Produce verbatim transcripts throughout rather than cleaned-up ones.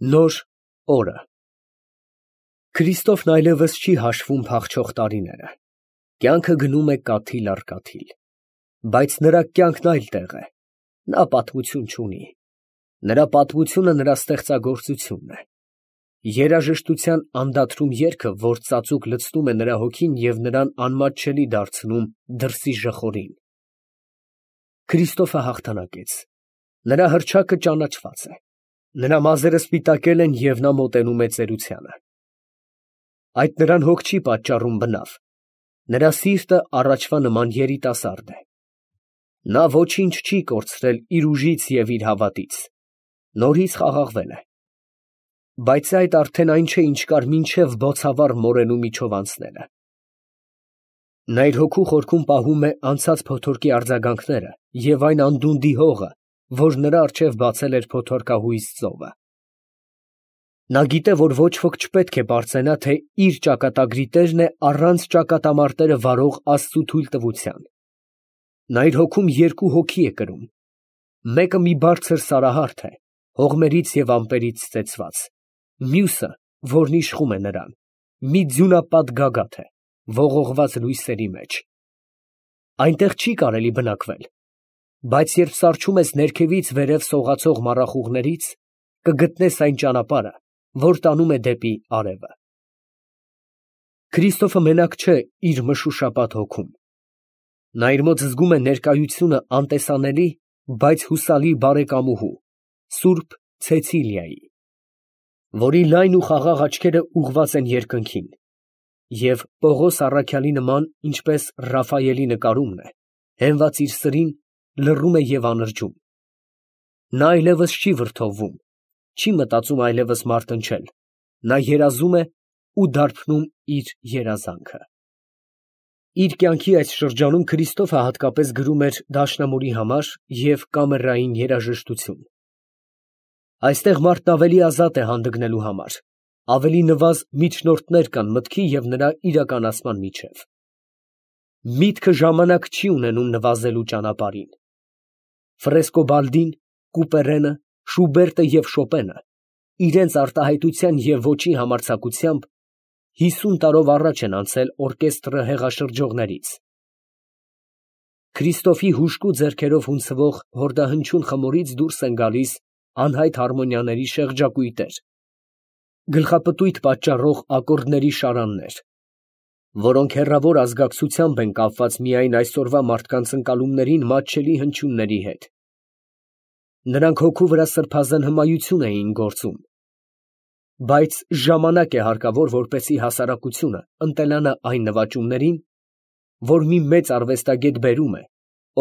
Նոր օրը Քրիստոֆն այլևս չի հաշվում փախչող տարիները, կյանքը գնում է կաթիլ առ կաթիլ, բայց նրա կյանքն այլ տեղ է, նա պատմություն չունի, նրա պատմությունը նրա ստեղծագործությունն է, երաժշտության անդադրում երգը, որ ծածուկ լցնում է նրա հոգին և նրան անմատչելի դարձնում դրսի ժխորին։ Քրիստոֆը հաղթանակեց, նրա հռչակը ճանաչված է, նրա մազերը սպիտակել են և նա մոտենում է ծերությանը։ Այդ նրան հոգ չի պատճառում բնավ, նրա սիրտը առաջվա նման երիտասարդ է։ Նա ոչինչ չի կորցրել իր ուժից և իր հավատից, նորից խաղաղվել է։ Բայց այդ արդեն այն չէ, ինչ կար մինչև բոցավառ մորենու միջով անցնելը։ Նա իր հոգու խորքում պահում է անցած փոթորկի արձագանքները և այն անդունդի հողը, որ նրա առջև բացել էր փոթորկահույս ծովը։ Նա գիտե, որ ոչ ոք չպետք է պարծենա, թե իր ճակատագրի տերն է առանց ճակատամարտերը վարող Աստծու թույլտվության։ Նա իր հոգում երկու հոգի է կրում. մեկը մի բարձր սարահարթ է, հողմերից և ամպերից ծեծված, մյուսը, որն իշխում է նրան, մի ձյունապատ գագաթ է, ողողված լույսերի մեջ։ Այնտեղ չի կարելի բնակվել, բայց երբ սառչում ես ներքևից վերև սողացող մառախուղներից, կգտնես այն ճանապարհը, որ տանում է դեպի արևը։ Քրիստոֆը մենակ չէ իր մշուշապատ հոգում։ Նա իր մոտ զգում է ներկայությունը անտեսանելի, բայց հուսալի բարեկամուհու, սուրբ Ցեցիլիայի, որի լայն ու խաղաղ աչքերը ուղղված են երկնքին, և Պողոս առաքյալի նման, ինչպես Ռաֆայելի նկարումն է, հենված իր սրին, լռում է և անրջում։ Նա այլևս չի վրդովվում, չի մտածում այլևս մարտնչել, նա երազում է ու դարբնում իր երազանքը։ Իր կյանքի այս շրջանում Քրիստոֆը հատկապես գրում էր դաշնամուրի համար և կամերային երաժշտություն։ Այստեղ մարդն ավելի ազատ է հանդգնելու համար, ավելի նվազ միջնորդներ կան մտքի և նրա իրականացման միջև։ Միտքը ժամանակ չի ունենում նվազելու ճանապարհին։ Ֆրեսկոբալդին, Կուպերենը, Շուբերտը և Շոպենը իրենց արտահայտության և ոճի համարձակությամբ հիսուն տարով առաջ են անցել օրկեստրը հեղաշրջողներից։ Քրիստոֆի հուժկու ձեռքերով հունցվող հորդահնչյուն խմորից դուրս են գալիս անհայտ հարմոնիաների շեղջակույտեր, գլխապտույտ պատճառող ակորդների շարաններ, որոնք հեռավոր ազգակցությամբ են կապված միայն այսօրվա մարդկանց ընկալումներին մատչելի հնչյունների հետ։ Նրանք հոգու վրա սրբազան հմայություն էին գործում, բայց ժամանակ է հարկավոր, որպեսզի հասարակությունը ընտելանա այն նվաճումներին, որ մի մեծ արվեստագետ բերում է,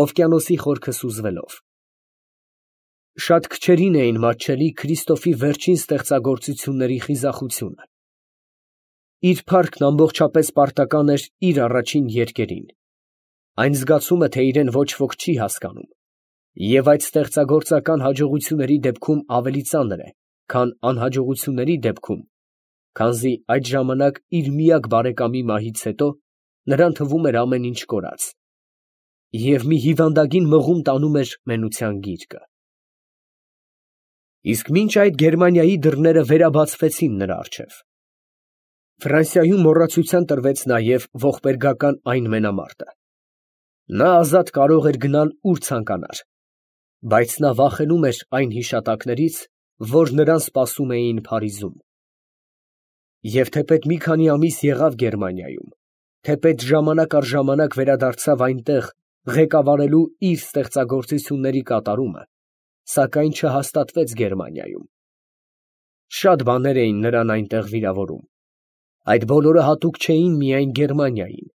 օվկիանոսի խորքը սուզվելով։ Շատ քչերին էին մատչելի Քրիստոֆի վերջին ստեղծագործությունների խիզախությունը։ Իր փառքն ամբողջապես պարտական էր իր առաջին երգերին, այն զգացումը, թե իրեն ոչ ոք չի հասկանում, և այդ ստեղծագործական հաջողությունների դեպքում ավելի ծանր է, քան անհաջողությունների դեպքում, քանզի այդ ժամանակ իր միակ բարեկամի մահից հետո նրան թվում էր ամեն ինչ կորած, և մի հիվանդագին մղում տանում էր մենության գիրկը։ Իսկ մինչ այդ Գերմանիայի դռները վերաբացվեցին նրա առջև։ Ֆրանսիայում մոռացության տրվեց նաև ողբերգական այն մենամարտը։ Նա ազատ կարող էր գնալ ուր ցանկանար, բայց նա վախենում էր այն հիշատակներից, որ նրան սպասում էին Փարիզում։ Եվ թեպետ մի քանի ամիս եղավ Գերմանիայում, թեպետ ժամանակ առ ժամանակ վերադարձավ այնտեղ ղեկավարելու իր ստեղծագործությունների կատարումը, սակայն չհաստատվեց Գերմանիայում։ Շատ բաներ էին նրան այնտեղ վիրավորում։ Այդ բոլորը հատուկ չէին միայն Գերմանիային,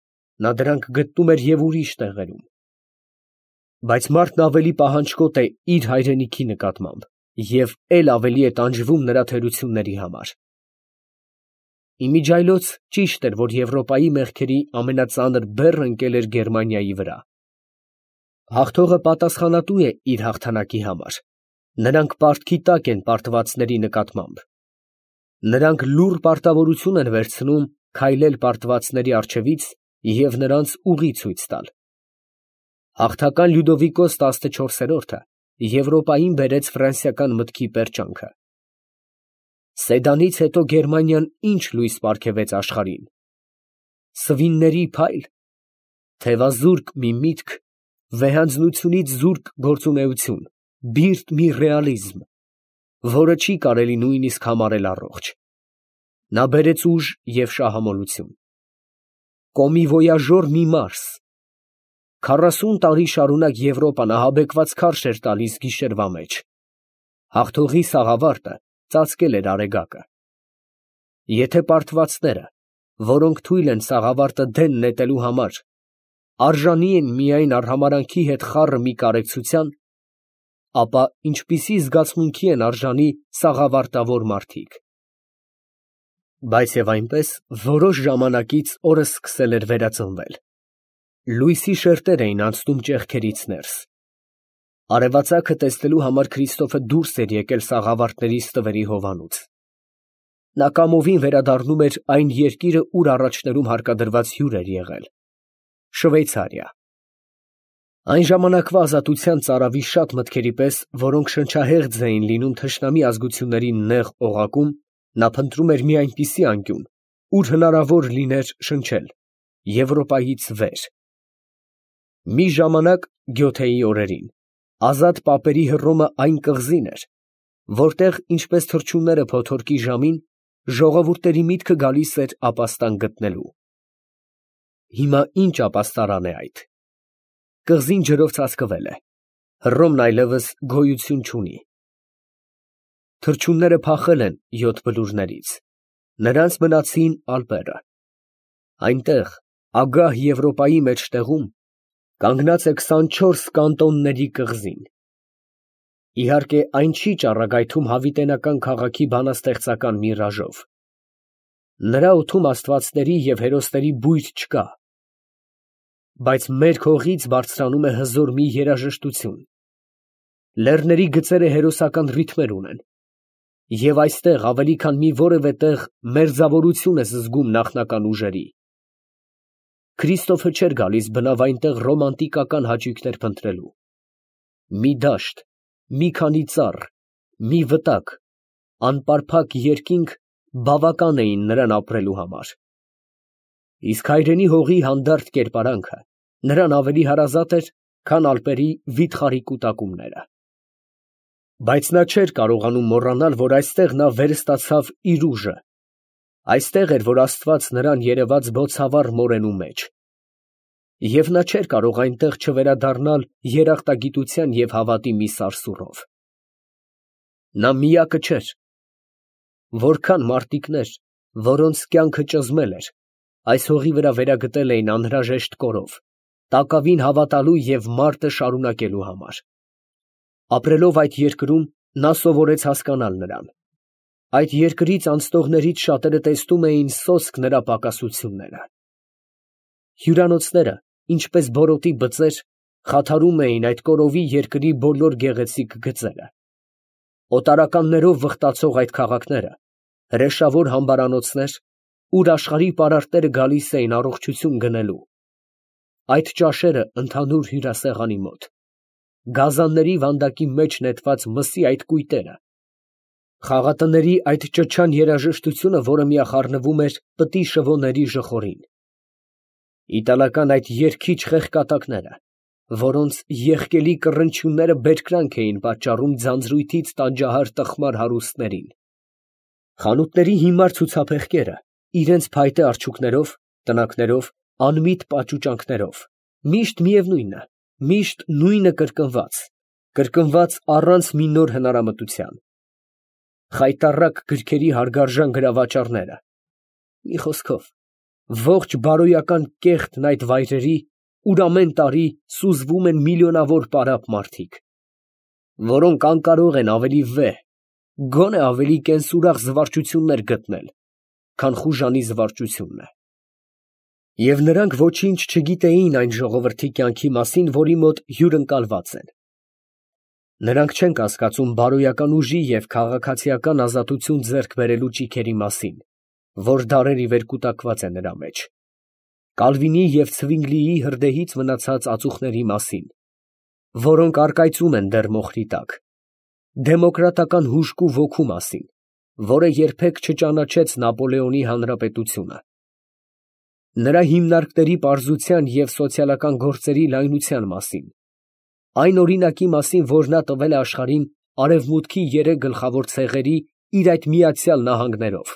նա դրանք գտնում էր և ուրիշ տեղերում։ Բայց մարդն ավելի պահանջկոտ է իր հայրենիքի նկատմամբ և էլ ավելի է տանջվում նրա թերությունների համար։ Իմիջիայլոց ճիշտ էր, որ Եվրոպայի մեղքերի ամենածանր բեռը ընկել էր Գերմանիայի վրա։ Հաղթողը պատասխանատու է իր հաղթանակի համար, նրանք պարտքի տակ են պարտվածների նկատմամբ։ Նրանք լուռ պարտավորություն են վերցնում քայլել պարտվածների առջևից և նրանց ուղի ցույց տալ։ Հաղթական Լյուդովիկոս տասնչորսերորդը Եվրոպային բերեց ֆրանսիական մտքի պերճանքը։ Սեդանից հետո Գերմանիան ինչ լույս պարգևեց աշխարհին։ Սվինների փայլ, թևազուրկ մի միտք, վեհանձնությունից զուրկ գործունեություն, բիրտ մի ռեալիզմ, որը չի կարելի նույնիսկ համարել առողջ։ Նա բերեց ուժ և շահամոլություն։ Կոմիվոյաժոր մի մարս։ Քառասուն տարի շարունակ Եվրոպան ահաբեկված քարշ էր տալիս գիշերվա մեջ։ Հաղթողի սաղավարտը ծածկել էր արեգակը։ Եթե պարտվածները, որոնք թույլ են սաղավարտը դեն նետելու համար, արժանի են միայն արհամարհանքի հետ խառը մի կարեկցության, ապա ինչպիսի զգացմունքի են արժանի սաղավարտավոր մարդիկ։ Բայց և այնպես, որոշ ժամանակից օրը սկսել էր վերածնվել։ Լույսի շերտեր էին անցնում ճեղքերից ներս։ Արևածագը տեսնելու համար Քրիստոֆը դուրս էր եկել սաղավարտների ստվերի հովանուց։ Նա կամովին վերադառնում էր այն երկիրը, ուր առաջներում հարկադրված հյուր էր եղել՝ Շվեյցարիա։ Այն ժամանակվա ազատության ծարավի շատ մտքերի պես, որոնք շնչահեղձ էին լինում թշնամի ազգությունների նեղ օղակում, նա փնտրում էր մի այնպիսի անկյուն, ուր հնարավոր լիներ շնչել Եվրոպայից վեր։ Մի ժամանակ Գյոթեի օրերին ազատ պապերի Հռոմը այն կղզին էր, որտեղ, ինչպես թռչունները փոթորկի ժամին, ժողովուրդների միտքը գալիս էր ապաստան գտնելու։ Հիմա ինչ ապաստարան է այդ։ Կղզին ջրով ծածկվել է, Հռոմն այլևս գոյություն չունի։ Թռչունները փախել են յոթ բլուրներից, նրանց մնացին ալպերը։ Այնտեղ, ագահ Եվրոպայի մեջտեղում, կանգնած է քսանչորս կանտոնների կղզին։ Իհարկե, այն չի ճառագայթում հավիտենական քաղաքի բանաստեղծական միրաժով։ Նրա օդում աստվածների և հերոսների բույր չկա։ Բայց մեր հողից բարձրանում է հզոր մի երաժշտություն։ Լեռների գծերը հերոսական ռիթմեր ունեն։ Եվ այստեղ ավելի քան մի որևէ տեղ մերձավորություն ես զգում նախնական ուժերի։ Քրիստոֆը չէր գալիս բնավ այնտեղ ռոմանտիկական հաճույքներ փնտրելու։ Մի դաշտ, մի քանի ծառ, մի վտակ, անպարփակ երկինք բավական էին նրան ապրելու համար։ Իսկ հայրենի հողի հանդարտ կերպարանքը նրան ավելի հարազատ էր, քան ալպերի վիթխարի կուտակումները։ Բայց նա չէր կարողանում մոռանալ, որ այստեղ նա վերստացավ իր ուժը։ Այստեղ էր, որ Աստված նրան երևաց բոցավառ մորենու մեջ։ Եվ նա չէր կարող այնտեղ չվերադառնալ երախտագիտության և հավատի մի սարսուռով։ Նա միակը չէր։ Որքան մարտիկներ, որոնց կյանքը ճզմել էր, այս հողի վրա վերագտել էին անհրաժեշտ կորով, տակավին հավատալու և մարտը շարունակելու համար։ Ապրելով այդ երկրում, նա սովորեց հասկանալ նրան։ Այդ երկրից անցնողներից շատերը տեսնում էին սոսկ նրա պակասությունները։ Հյուրանոցները, ինչպես բորոտի բծեր, խաթարում էին այդ կորովի երկրի բոլոր գեղեցիկ գծերը։ Օտարականներով վխտացող այդ քաղաքները, հրեշավոր համբարանոցներ, ուր աշխարհի պարարտները գալիս էին առողջություն գնելու։ Այդ ճաշերը ընդհանուր հյուրասեղանի մոտ, գազանների վանդակի մեջ նետված մսի այդ կույտերը, խաղատների այդ ճչան երաժշտությունը, որը միախառնվում էր պտի շվոների ժխորին, իտալական այդ երգիչ խեղկատակները, որոնց եղկելի կռնչյունները բերկրանք էին պատճառում ձանձրույթից տանջահար տխմար հարուստներին, խանութների հիմար ցուցափեղկերը, իրենց փայտե արջուկներով, տնակներով, անմիտ պաճուճանքներով, միշտ միևնույնը, միշտ նույնը կրկնված, կրկնված առանց մի նոր հնարամտության, խայտառակ գրքերի հարգարժան գրավաճառները, մի խոսքով, ողջ բարոյական կեղտն այդ վայրերի, ուր ամեն տարի սուզվում են միլիոնավոր պարապ մարդիկ, որոնք անկարող են ավելի վեհ, գոնե ավելի կենսուրախ զվարճություններ գտնել, քան խուժանի զվարճությունն է։ Եվ նրանք ոչինչ չգիտեին այն ժողովրդի կյանքի մասին, որի մոտ հյուրընկալված են։ Նրանք չեն կասկածում բարոյական ուժի և քաղաքացիական ազատություն ձեռք բերելու ճիգերի մասին, որ դարեր ի վեր կուտակված է նրա մեջ, Կալվինի և Ցվինգլիի հրդեհից մնացած ածուխների մասին, որոնք առկայծում են դեռ մոխրի տակ, դեմոկրատական հուժկու ոգու մասին, որը երբեք չճանաչեց Նապոլեոնի հանրապետությունը։ Նրա հիմնարկների պարզության և սոցիալական գործերի լայնության մասին, այն օրինակի մասին, որ նա տվել է աշխարհին Արևմուտքի երեք գլխավոր ցեղերի իր այդ Միացյալ Նահանգներով,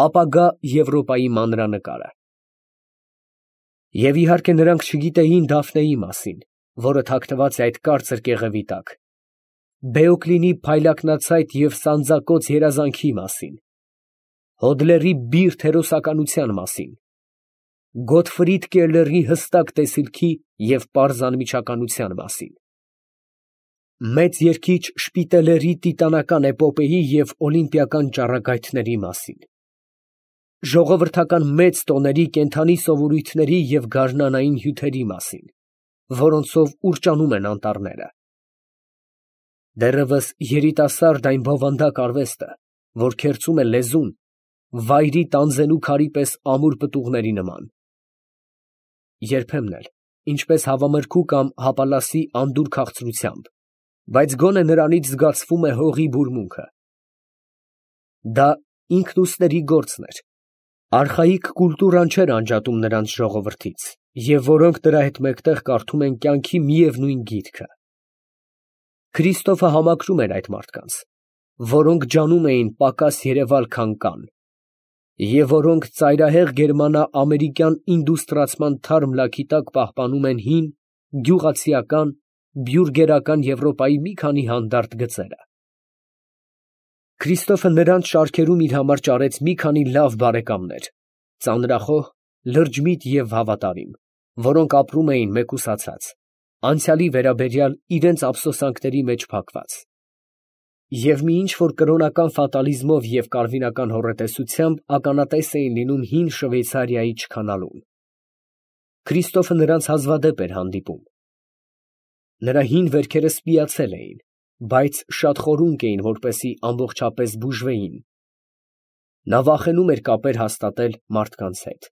ապագա Եվրոպայի մանրանկարը։ Եվ իհարկե նրանք չգիտեին Դաֆնեի մասին, որը թաքնված է այդ կարծր կեղևի տակ, Բեոկլինի փայլակնացայտ և սանձակոծ երազանքի մասին, Հոդլերի բիրտ հերոսականության մասին, Գոտֆրիդ Կելլերի հստակ տեսիլքի և պարզ անմիջականության մասին, մեծ երգիչ Շպիտելերի տիտանական էպոպեի և օլիմպիական ճառագայթների մասին, ժողովրդական մեծ տոների կենդանի սովորույթների և գարնանային հյութերի մասին, որոնցով ուռճանում են անտառները, դեռևս երիտասարդ այն բովանդակ արվեստը, որ քերծում է լեզուն, վայրի տանձենու քարի պես ամուր պտուղների նման, երբեմն էլ, ինչպես հավամրգու կամ հապալասի անդուր քաղցրությամբ, բայց գոնե նրանից զգացվում է հողի բուրմունքը։ Դա ինքնուստերի գործն էր, արխայիկ կուլտուրան չէր անջատում նրանց ժողովրդից, և որոնք դրա հետ մեկտեղ կարդում են կյանքի միևնույն գիրքը։ Քրիստոֆը համակրում էր այդ մարդկանց, որոնք ջանում էին պակաս երևալ, քան կան, և որոնք ծայրահեղ գերմանա֊ամերիկյան ինդուստրիացման թարմ լաքի տակ պահպանում են հին, գյուղացիական, բյուրգերական Եվրոպայի մի քանի հանդարտ գծերը։ Քրիստոֆը նրանց շարքերում իր համար ճարեց մի քանի լավ բարեկամներ, ծանրախոհ, լրջմիտ և հավատարիմ, որոնք ապրում էին մեկուսացած, անցյալի վերաբերյալ իրենց ափսոսանքների մեջ փակված, և մի ինչ֊որ կրոնական ֆատալիզմով և կարվինական հոռետեսությամբ ականատես էին լինում հին Շվեյցարիայի չքանալուն։ Քրիստոֆը նրանց հազվադեպ էր հանդիպում։ Նրա հին վերքերը սպիացել էին, բայց շատ խորունկ էին, որպեսզի ամբողջապես բուժվեին։ Նա վախենում էր կապեր հաստատել մարդկանց հետ։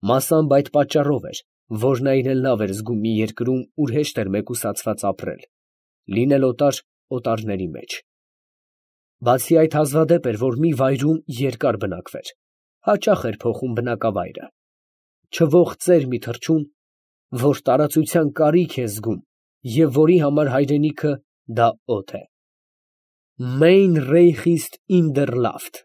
Մասամբ այդ պատճառով էր, որ նա իրեն լավ էր զգում մի երկրում, ուր հեշտ էր մեկուսացված ապրել, լինել օտար օտարների մեջ։ Բացի այդ, հազվադեպ էր, որ մի վայրում երկար բնակվեր, հաճախ էր փոխում բնակավայրը, չվող ծեր մի թռչուն, որ տարածության կարիք է զգում և որի համար հայրենիքը դա օդ է։ Mein Reich ist in der Luft։